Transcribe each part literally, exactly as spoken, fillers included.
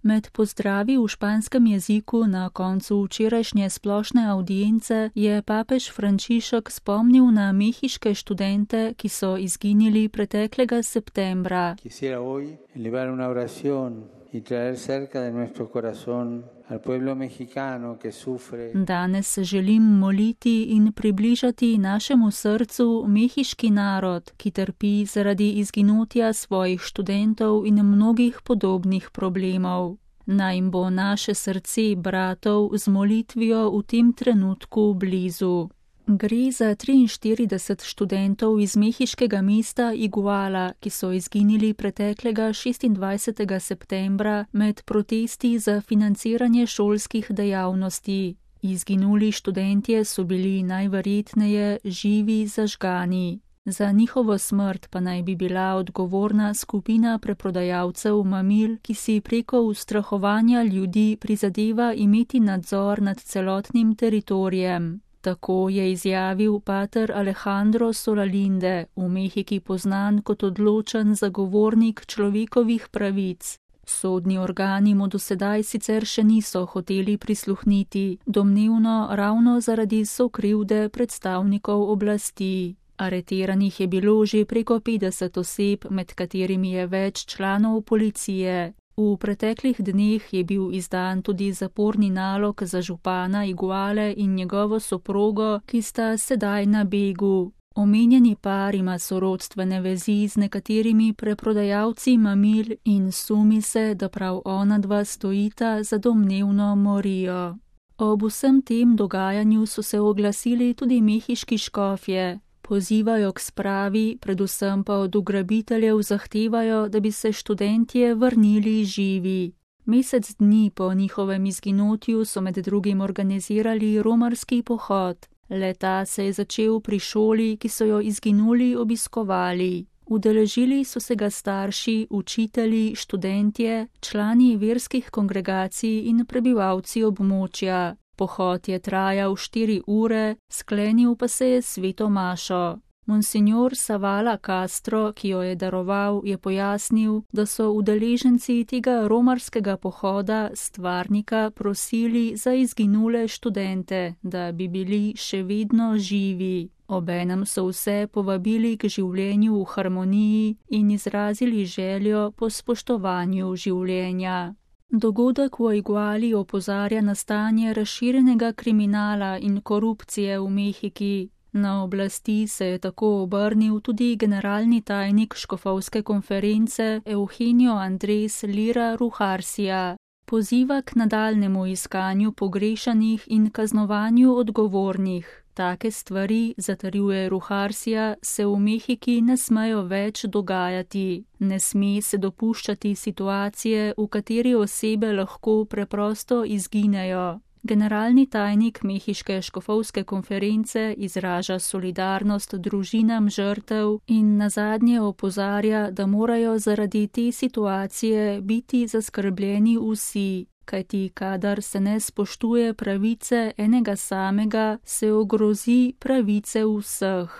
Med pozdravi v španskem jeziku na koncu včerajšnje splošne avdience je papež Frančišek spomnil na mehiške študente, ki so izginili preteklega septembra. Quisiera hoy elevar una oración y traer cerca de nuestro corazón al pueblo mexicano que sufre. Danes se želim moliti in približati našemu srcu mehiški narod, ki trpi zaradi izginotja svojih študentov in mnogih podobnih problemov. Naj jim bo naše srce bratov z molitvijo v tem trenutku blizu. Gre za triinštirideset študentov iz mehiškega mesta Iguala, ki so izginili preteklega šestindvajsetega septembra med protesti za financiranje šolskih dejavnosti. Izginuli študentje so bili najverjetneje živi zažgani. Za njihovo smrt pa naj bi bila odgovorna skupina preprodajalcev mamil, ki si preko ustrahovanja ljudi prizadeva imeti nadzor nad celotnim teritorijem. Tako je izjavil pater Alejandro Solalinde, v Mehiki poznan kot odločen zagovornik človekovih pravic. Sodni organi mu do sedaj sicer še niso hoteli prisluhniti, domnevno ravno zaradi sokrivde predstavnikov oblasti. Aretiranih je bilo že preko petdeset oseb, med katerimi je več članov policije. V preteklih dneh je bil izdan tudi zaporni nalog za župana Iguale in njegovo soprogo, ki sta sedaj na begu. Omenjeni par ima sorodstvene vezi z nekaterimi preprodajalci mamil in sumi se, da prav ona dva stojita za domnevno morijo. Ob vsem tem dogajanju so se oglasili tudi mehiški škofje. Pozivajo k spravi, predvsem pa od ugrabiteljev zahtevajo, da bi se študentje vrnili živi. Mesec dni po njihovem izginotju so med drugim organizirali romarski pohod. Le-ta se je začel pri šoli, ki so jo izginuli obiskovali. Udeležili so se ga starši, učitelji, študentje, člani verskih kongregacij in prebivalci območja. Pohod je trajal štiri ure, sklenil pa se je sveto mašo. Monsignor Savala Castro, ki jo je daroval, je pojasnil, da so udeleženci tega romarskega pohoda stvarnika prosili za izginule študente, da bi bili še vedno živi. Obenem so vse povabili k življenju v harmoniji in izrazili željo po spoštovanju življenja. Dogodek v Iguali opozarja na stanje razširjenega kriminala in korupcije v Mehiki. Na oblasti se je tako obrnil tudi generalni tajnik škofovske konference Eugenio Andrés Lira Ruharsia. Poziva k nadaljnemu iskanju pogrešanih in kaznovanju odgovornih. Take stvari, zatrjuje Ruharsia, se v Mehiki ne smejo več dogajati. Ne sme se dopuščati situacije, v kateri osebe lahko preprosto izginejo. Generalni tajnik mehiške škofovske konference izraža solidarnost družinam žrtev in nazadnje opozarja, da morajo zaradi te situacije biti zaskrbljeni vsi. Kajti kadar se ne spoštuje pravice enega samega, se ogrozi pravice vseh.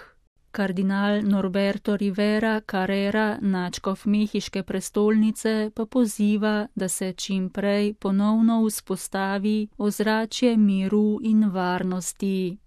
Kardinal Norberto Rivera Carrera, nadškof mehiške prestolnice, pa poziva, da se čim prej ponovno vzpostavi ozračje miru in varnosti.